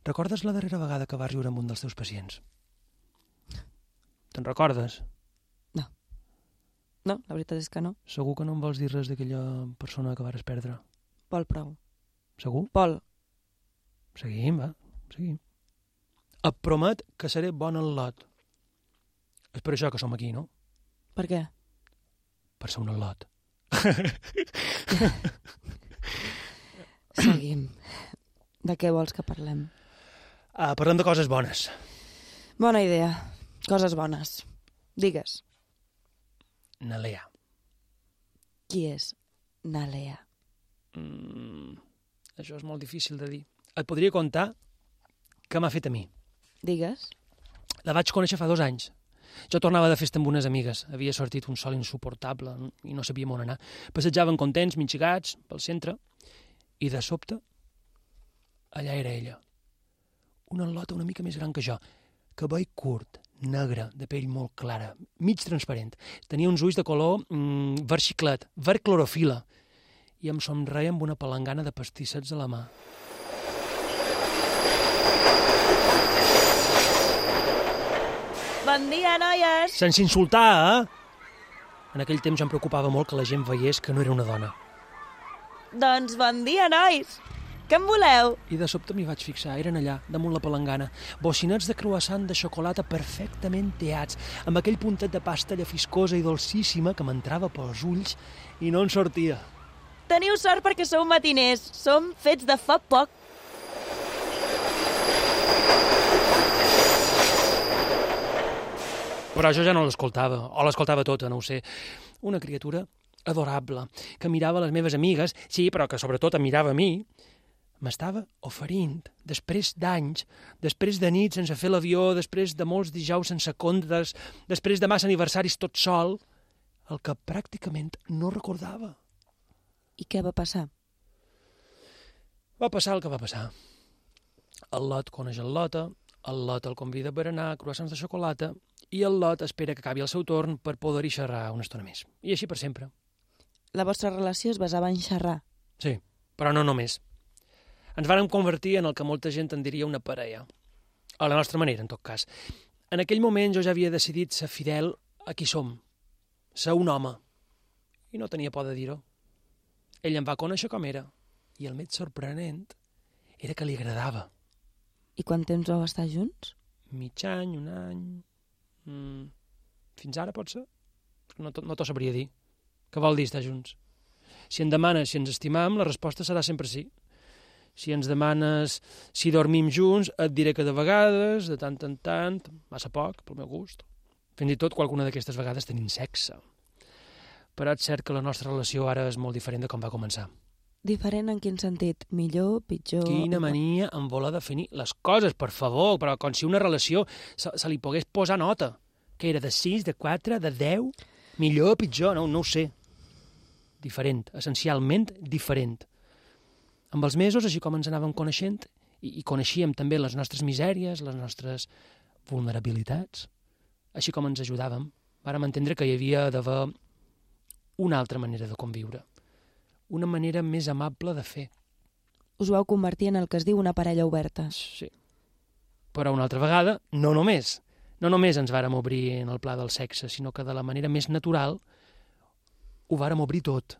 Recordes la darrera vegada que vas riure amb un dels teus pacients? Te'n recordes? No. No, la veritat és que no. Segur que no em vols dir res d'aquella persona que vares perdre? Pol, prou. Segur? Pol. Seguim, va, seguim. Et promet que seré bon al lot. És per això que som aquí, no? Per què? Per ser un al·lot. Seguim. De què vols que parlem? Ah, parlem de coses bones. Bona idea. Coses bones. Digues. Nalea. Qui és Nalea? Mm, això és molt difícil de dir. Et podria contar què m'ha fet a mi. Digues. La vaig conèixer fa dos anys. Jo tornava de festa amb unes amigues. Havia sortit un sol insuportable i no sabíem on anar. Passejàvem contents, minxigats, pel centre, i de sobte, allà era ella. Una al·lota una mica més gran que jo, cabell curt, negra, de pell molt clara, mig transparent. Tenia uns ulls de color mm, verd xiclet, verd clorofila, i em somreia amb una palangana de pastissets a la mà. Bon dia, noies! Sense insultar, eh? En aquell temps em preocupava molt que la gent veiés que no era una dona. Doncs bon dia, nois! Què en voleu? I de sobte m'hi vaig fixar, eren allà, damunt la palangana, bocinets de croissant de xocolata perfectament teats, amb aquell puntet de pasta llafiscosa i dolcíssima que m'entrava pels ulls i no en sortia. Teniu sort perquè sou matiners. Som fets de fa poc. Però jo ja no l'escoltava, o l'escoltava tota, no ho sé. Una criatura adorable, que mirava les meves amigues, sí, però que sobretot em mirava a mi, m'estava oferint, després d'anys, després de nit sense fer l'avió, després de molts dijous sense comptes, després de massa aniversaris tot sol, el que pràcticament no recordava. I què va passar? Va passar el que va passar. El Lot coneix el Lota, el Lot el convida per anar a croissants de xocolata i el Lot espera que acabi el seu torn per poder-hi xerrar una estona més. I així per sempre. La vostra relació es basava en xerrar? Sí, però no només. Ens vàrem convertir en el que molta gent en diria una parella. A la nostra manera, en tot cas. En aquell moment jo ja havia decidit ser fidel a qui som. Ser un home. I no tenia por de dir-ho. Ell em va conèixer com era. I el més sorprenent era que li agradava. I quant temps vau estar junts? Mig any, un any... Mm, fins ara, pot ser? No, no t'ho sabria dir. Què vol dir estar junts? Si em demanes si ens estimam, la resposta serà sempre sí. Si ens demanes si dormim junts, et diré que de vegades, de tant en tant, massa poc, pel meu gust. Fins i tot qualcuna d'aquestes vegades tenim sexe. Però és cert que la nostra relació ara és molt diferent de com va començar. Diferent en quin sentit? Millor, pitjor... Quina mania en voler definir les coses, per favor, però com si una relació se, se li pogués posar nota. Que era de sis, de quatre, de deu? Millor, pitjor, no, no ho sé. Diferent, essencialment diferent. Amb els mesos, així com ens anàvem coneixent, i, i coneixíem també les nostres misèries, les nostres vulnerabilitats, així com ens ajudàvem, vàrem entendre que hi havia d'haver una altra manera de conviure, una manera més amable de fer. Us vau convertir en el que es diu una parella oberta. Sí. Però una altra vegada, no només. No només ens vàrem obrir en el pla del sexe, sinó que de la manera més natural ho vàrem obrir tot.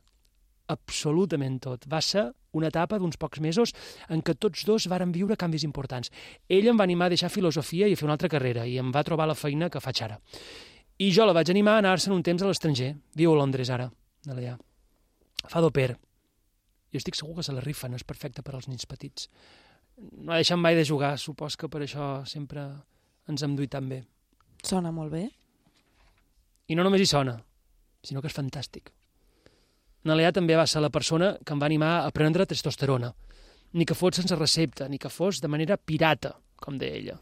Absolutament tot. Va ser una etapa d'uns pocs mesos en què tots dos vàrem viure canvis importants. Ell em va animar a deixar filosofia i a fer una altra carrera, i em va trobar la feina que faig ara. I jo la vaig animar a anar-se'n un temps a l'estranger. Viu a Londres ara, allà. Fa d'au pair. Jo estic segur que se la rifen, és perfecte per als nens petits. No ha deixat mai de jugar, supos que per això sempre ens hem duit tan bé. Sona molt bé. I no només hi sona, sinó que és fantàstic. Nalea també va ser la persona que em va animar a prendre testosterona. Ni que fos sense recepta, ni que fos de manera pirata, com deia ella.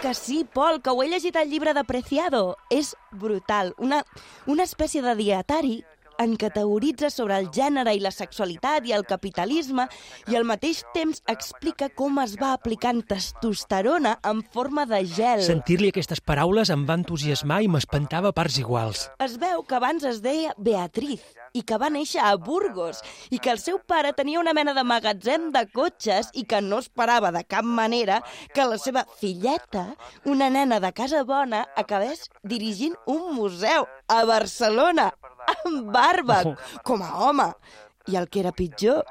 Que sí, Pol, que ho he llegit al llibre de Preciado. És brutal. Una, una espècie de dietari en què teoritza sobre el gènere i la sexualitat i el capitalisme i al mateix temps explica com es va aplicant testosterona en forma de gel. Sentir-li aquestes paraules em va entusiasmar i m'espantava a parts iguals. Es veu que abans es deia Beatriz i que va néixer a Burgos i que el seu pare tenia una mena de magatzem de cotxes i que no esperava de cap manera que la seva filleta, una nena de casa bona, acabés dirigint un museu a Barcelona, amb barba, oh. com a home. I el que era pitjor,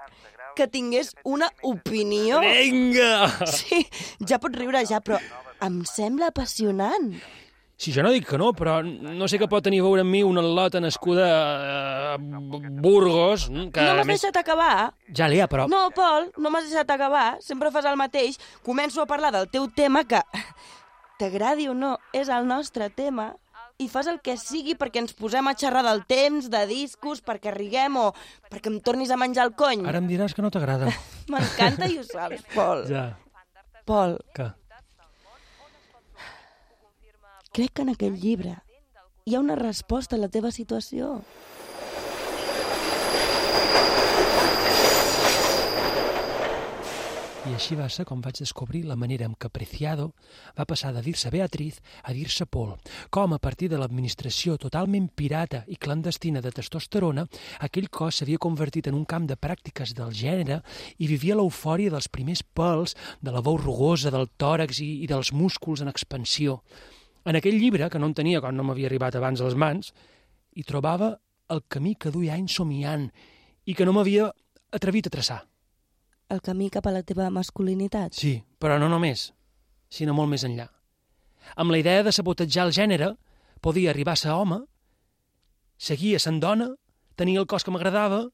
que tingués una opinió. Vinga! Sí, ja pots riure ja, però em sembla apassionant. Si jo no dic que no, però no sé què pot tenir a veure amb mi una al·lota nascuda a Burgos. Que no m'has més... deixat acabar? Ja, Lea, però... No, Pol, no m'has deixat acabar. Sempre fas el mateix. Començo a parlar del teu tema que, t'agradi o no, és el nostre tema, i fas el que sigui perquè ens posem a xerrar del temps, de discos, perquè riguem o perquè em tornis a menjar el cony. Ara em diràs que no t'agrada. M'encanta i ho saps, Pol. Ja. Pol. Què? Crec que en aquell llibre hi ha una resposta a la teva situació. I així va ser com vaig descobrir la manera en què Preciado va passar de dir-se Beatriz a dir-se Paul, com a partir de l'administració totalment pirata i clandestina de testosterona, aquell cos s'havia convertit en un camp de pràctiques del gènere i vivia l'eufòria dels primers pèls, de la veu rugosa, del tòrax i, i dels músculs en expansió. En aquell llibre, que no en tenia quan no m'havia arribat abans a les mans, hi trobava el camí que duia anys somiant i que no m'havia atrevit a traçar. El camí cap a la teva masculinitat? Sí, però no només, sinó molt més enllà. Amb la idea de sabotejar el gènere, podia arribar a ser home, seguir sent dona, tenir el cos que m'agradava,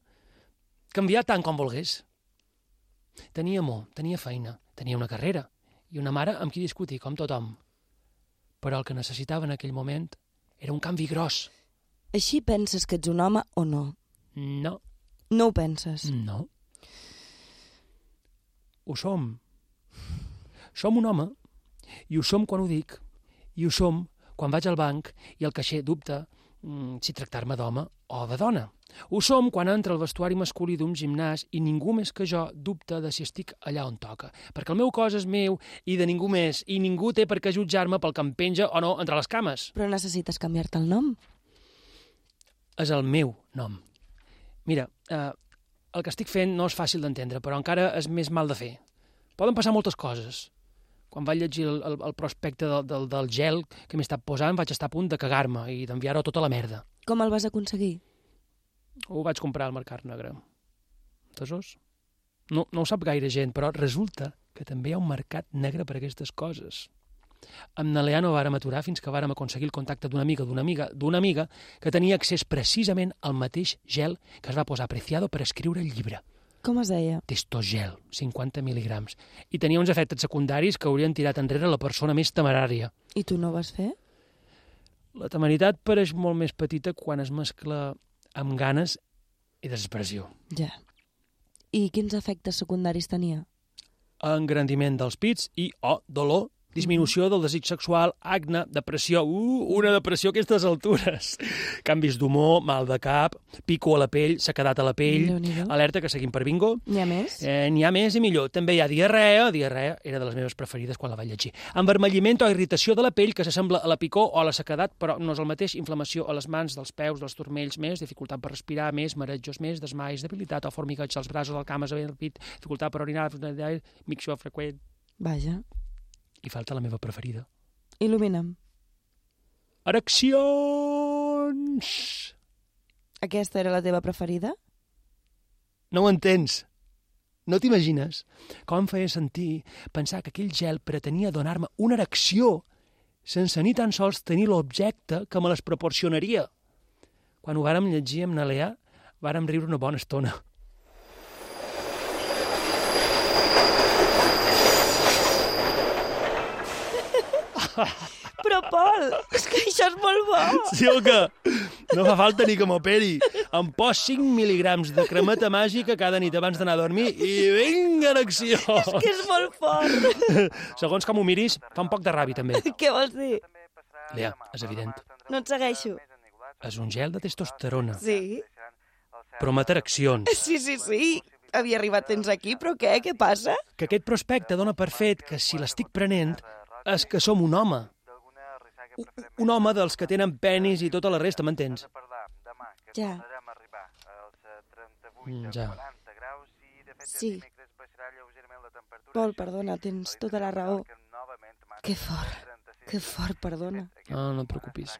canviar tant com volgués. Tenia amor, tenia feina, tenia una carrera i una mare amb qui discutir, com tothom. Però el que necessitava en aquell moment era un canvi gros. Així penses que ets un home o no? No. No ho penses? No. Ho som. Som un home, i ho som quan ho dic, i ho som quan vaig al banc i el caixer dubta mm, si tractar-me d'home o de dona. Ho som quan entra el vestuari masculí d'un gimnàs i ningú més que jo dubta de si estic allà on toca, perquè el meu cos és meu i de ningú més, i ningú té per què jutjar-me pel que em penja o no entre les cames. Però necessites canviar-te el nom? És el meu nom. Mira, eh, el que estic fent no és fàcil d'entendre, però encara és més mal de fer. Poden passar moltes coses. Quan vaig llegir el, el, el prospecte del, del, del gel que m'he estat posant, vaig estar a punt de cagar-me i d'enviar-ho tota la merda. Com el vas aconseguir? Ho vaig comprar al Mercat Negre. Entesos? No, no ho sap gaire gent, però resulta que també hi ha un mercat negre per aquestes coses. Amb na Lea no vàrem aturar fins que vàrem aconseguir el contacte d'una amiga d'una amiga d'una amiga que tenia accés precisament al mateix gel que es va posar Preciado per escriure el llibre. Com es deia? Testogel, cinquanta mil·ligrams. I tenia uns efectes secundaris que haurien tirat enrere la persona més temerària. I tu no ho vas fer? La temeritat pareix molt més petita quan es mescla amb ganes i desesperació. Ja. I quins efectes secundaris tenia? Engrandiment dels pits i, oh, dolor, disminució del desig sexual, acne, depressió, uh, una depressió a aquestes altures, canvis d'humor, mal de cap, pico a la pell, sequedat a la pell, alerta que seguim per bingo. N'hi ha més? Eh, N'hi ha més i millor. També hi ha diarrea, diarrea era de les meves preferides quan la vaig llegir. Envermelliment o irritació de la pell que s'assembla a la picor o a la sequedat, però no és el mateix, inflamació a les mans, dels peus, dels turmells, més, dificultat per respirar, més, marejos, més, desmais, debilitat o formigueig als braços, al cames, al pit, dificultat per orinar, micció freqüent. Vaja. I falta la meva preferida. Il·lumina'm. Ereccions! Aquesta era la teva preferida? No ho entens. No t'imagines com em feia sentir pensar que aquell gel pretenia donar-me una erecció sense ni tan sols tenir l'objecte que me les proporcionaria. Quan ho vàrem llegir amb na Lea, vàrem riure una bona estona. Però, Pol, és que això és molt bo. Sí o què? No fa falta ni que m'operi. Em pos cinc mil·ligrams de cremeta màgica cada nit abans d'anar a dormir i vinga, erecció! És que és molt fort. Segons com ho miris, fa un poc de ràbia, també. Què vols dir? Lea, és evident. No et segueixo. És un gel de testosterona. Sí? Promet ereccions. Sí, sí, sí. Havia arribat temps aquí, però què? Què passa? Que aquest prospecte dona per fet que si l'estic prenent és que som un home. Un home dels que tenen penis i tota la resta, m'entens? Ja. Mm, ja. Sí. Pol, perdona, tens tota la raó. Que fort, que fort, perdona. No, no et preocupis.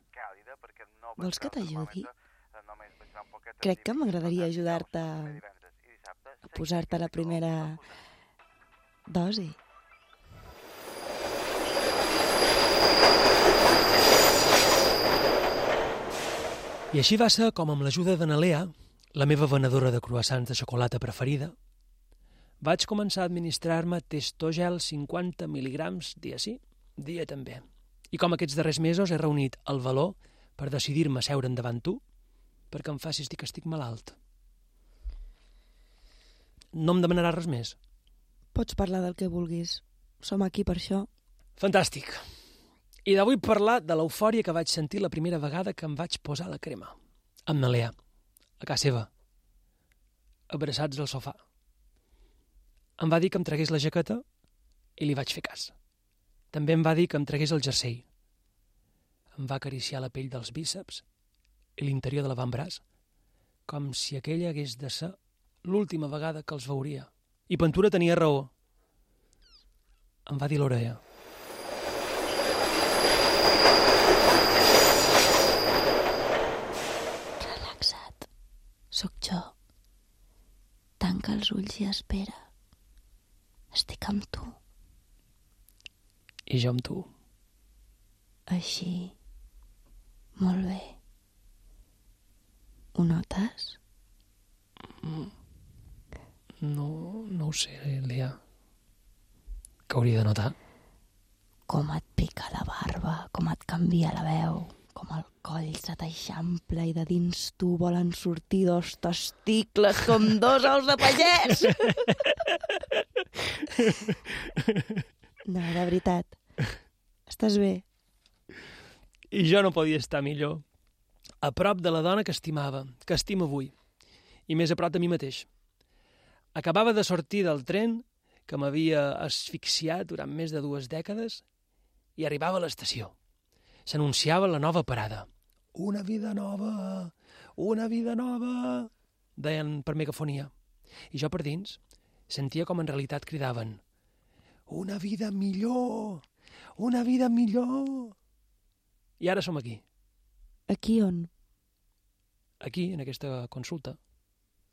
Vols que t'ajudi? Crec que m'agradaria ajudar-te a posar-te la primera dosi. I així va ser com amb l'ajuda de na Lea, la meva venedora de croissants de xocolata preferida, vaig començar a administrar-me Testogel cinquanta mil·ligrams dia sí, dia també. I com aquests darrers mesos he reunit el valor per decidir-me a seure davant tu perquè em facis dir que estic malalt. No em demanaràs res més? Pots parlar del que vulguis. Som aquí per això. Fantàstic. I de vull parlar de l'eufòria que vaig sentir la primera vegada que em vaig posar la crema. Amb na Lea, a casa seva, abraçats al sofà. Em va dir que em tragués la jaqueta i li vaig fer cas. També em va dir que em tragués el jersei. Em va acariciar la pell dels bíceps i l'interior de l'avantbraç, com si aquella hagués de ser l'última vegada que els veuria. I Ventura tenia raó. Em va dir l'orella. Relaxa't. Sóc jo. Tanca els ulls i espera. Estic amb tu. I jo amb tu. Així. Molt bé. Ho notes? No, no ho sé, Lea. Què hauria de notar? Com et pica la barba, com et canvia la veu, com el coll se t'eixampla i de dins tu volen sortir dos testicles com dos ous de pagès. No, de veritat. Estàs bé? I jo no podia estar millor. A prop de la dona que estimava, que estimo avui, i més a prop de mi mateix. Acabava de sortir del tren que m'havia asfixiat durant més de dues dècades i arribava a l'estació. S'anunciava la nova parada. Una vida nova, una vida nova, deien per megafonia. I jo per dins sentia com en realitat cridaven una vida millor, una vida millor. I ara som aquí. Aquí on? Aquí, en aquesta consulta,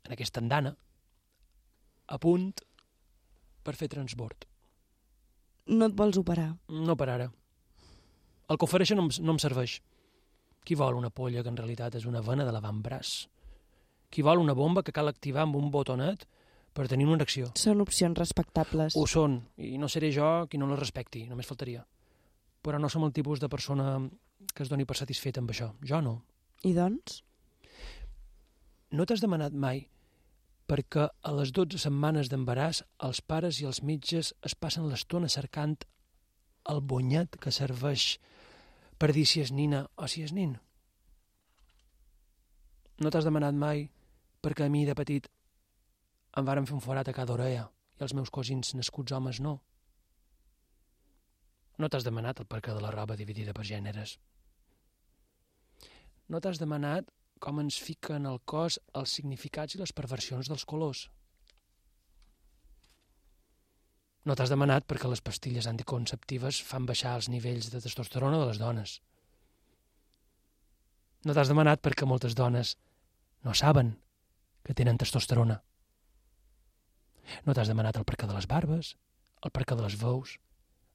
en aquesta andana, a punt per fer transbord. No et vols operar? No per ara. El que ofereixen no em, no em serveix. Qui vol una polla que en realitat és una vena de l'avantbraç? Qui vol una bomba que cal activar amb un botonet per tenir una erecció? Són opcions respectables. Ho són, i no seré jo qui no les respecti, només faltaria. Però no som el tipus de persona que es doni per satisfet amb això. Jo no. I doncs? No t'has demanat mai perquè a les dotze setmanes d'embaràs els pares i els metges es passen l'estona cercant el bonyet que serveix per dir si és nina o si és nin? No t'has demanat mai perquè a mi de petit em varen fer un forat a cada orella i els meus cosins nascuts homes no? No t'has demanat el perquè de la roba dividida per gèneres? No t'has demanat com ens fiquen al cos els significats i les perversions dels colors? No t'has demanat perquè les pastilles anticonceptives fan baixar els nivells de testosterona de les dones? No t'has demanat perquè moltes dones no saben que tenen testosterona? No t'has demanat el perquè de les barbes, el perquè de les veus,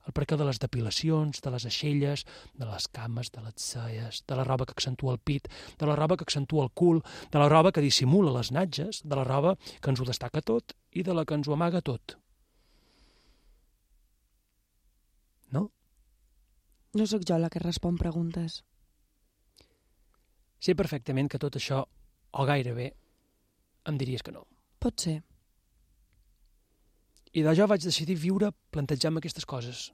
el perquè de les depilacions, de les aixelles, de les cames, de les celles, de la roba que accentua el pit, de la roba que accentua el cul, de la roba que dissimula les natges, de la roba que ens ho destaca tot i de la que ens ho amaga tot. No? No sóc jo la que respon preguntes. Sé perfectament que tot això, o gairebé, em diries que no. Pot ser. I de jo vaig decidir viure plantejant-me aquestes coses.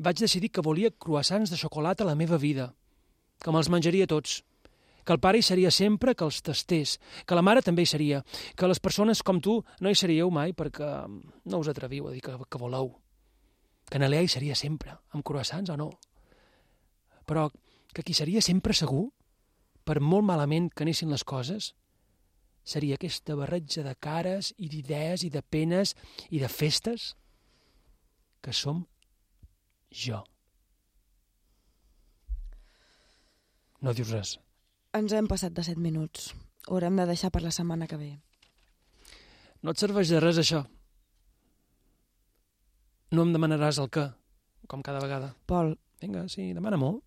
Vaig decidir que volia croissants de xocolata a la meva vida, que me'ls menjaria tots, que el pare hi seria sempre que els tastés, que la mare també hi seria, que les persones com tu no hi seríeu mai perquè no us atreviu a dir que, que voleu, que en Lea hi seria sempre, amb croissants o no. Però que qui seria sempre segur, per molt malament que anessin les coses, seria aquesta barreja de cares i d'idees i de penes i de festes que som jo. No dius res. Ens hem passat de set minuts. Ho haurem de deixar per la setmana que ve. No et serveix de res, això. No em demanaràs el què, com cada vegada. Pol. Vinga, sí, demana-m'ho.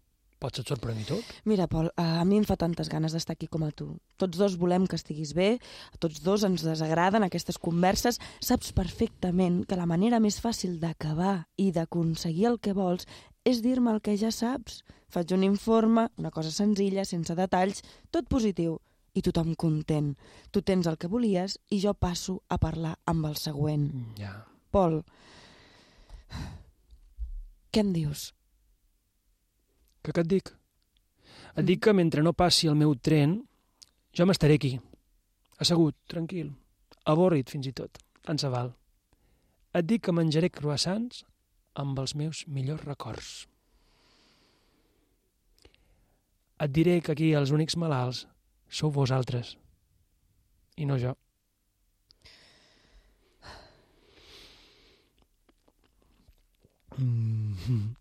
Pots et sorprendre tot. Mira, Pol, a mi em fa tantes ganes d'estar aquí com a tu. Tots dos volem que estiguis bé, a tots dos ens desagraden aquestes converses. Saps perfectament que la manera més fàcil d'acabar i d'aconseguir el que vols és dir-me el que ja saps. Faig un informe, una cosa senzilla, sense detalls, tot positiu, i tothom content. Tu tens el que volies i jo passo a parlar amb el següent. Ja. Pol, què em dius? Que què et dic? Et dic que mentre no passi el meu tren, jo m'estaré aquí, assegut, tranquil, avorrit fins i tot, tant se val. et dic que menjaré croissants amb els meus millors records. Et diré que aquí els únics malalts sou vosaltres, i no jo. Mm-hmm.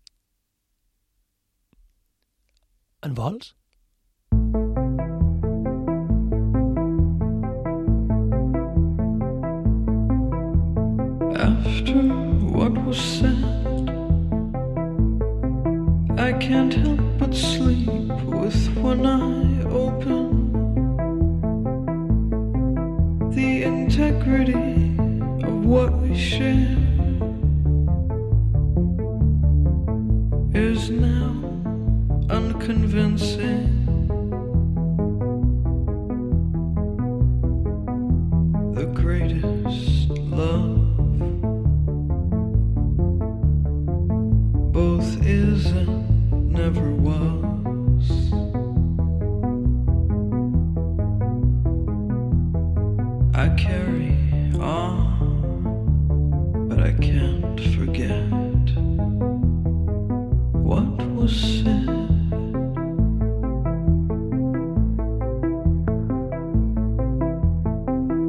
En vols? After what was said, I can't help but sleep with one eye open. The integrity of what we share is now unconvincing. The greatest love both is and never was. I carry on, but I can't forget what was said.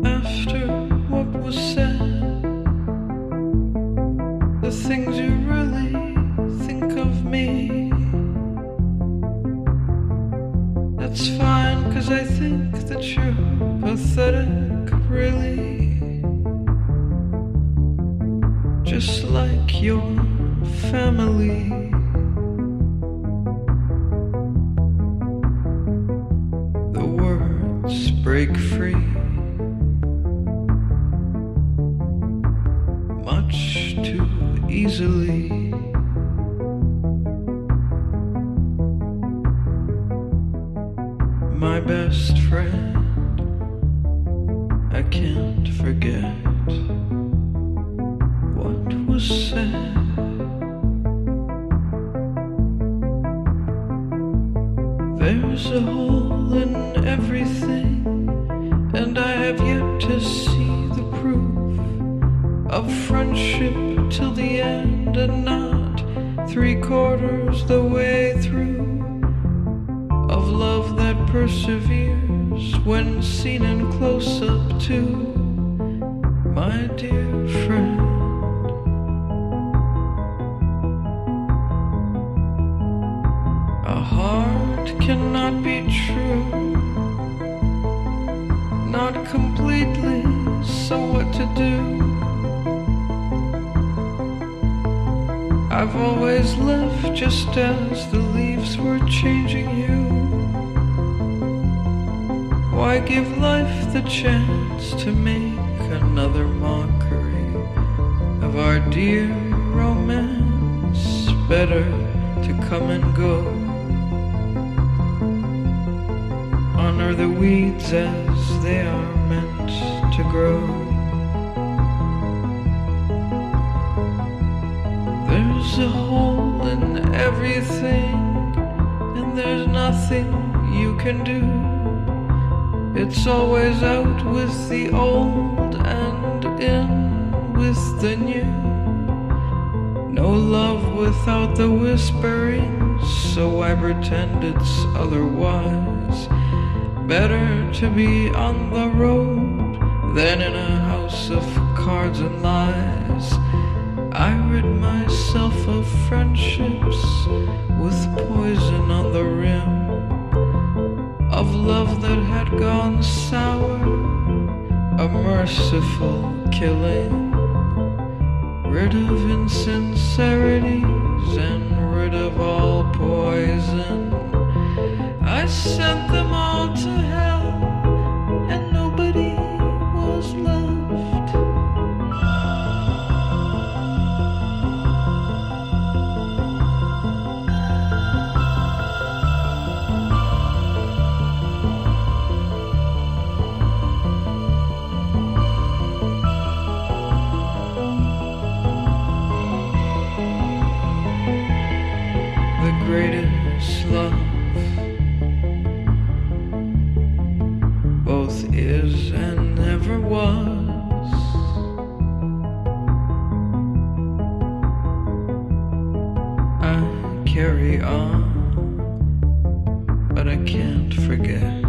After what was said, the things you really think of me, that's fine, 'cause I think that you're pathetic, really, just like your family. The words break free much too easily. My best friend, I can't forget what was said. There's a hole in everything, and I have yet to see the proof of friendship till the end, and not three quarters the way through, of love that perseveres when seen in close-up too, my dear friend. A heart cannot be true, not completely, so what to do? I've always left just as the leaves were changing you. Why give life the chance to make another mockery of our dear romance? Better to come and go. Honor the weeds as they are meant to grow. There's a hole in everything, and there's nothing you can do. It's always out with the old and in with the new. No love without the whispering, so I pretend it's otherwise. Better to be on the road than in a house of cards and lies. I rid myself of friendships with poison on the rim, of love that had gone sour, a merciful killing. Rid of insincerities and rid of all poison. I sent them all to hell, and nobody was left. The greatest love carry on, but I can't forget.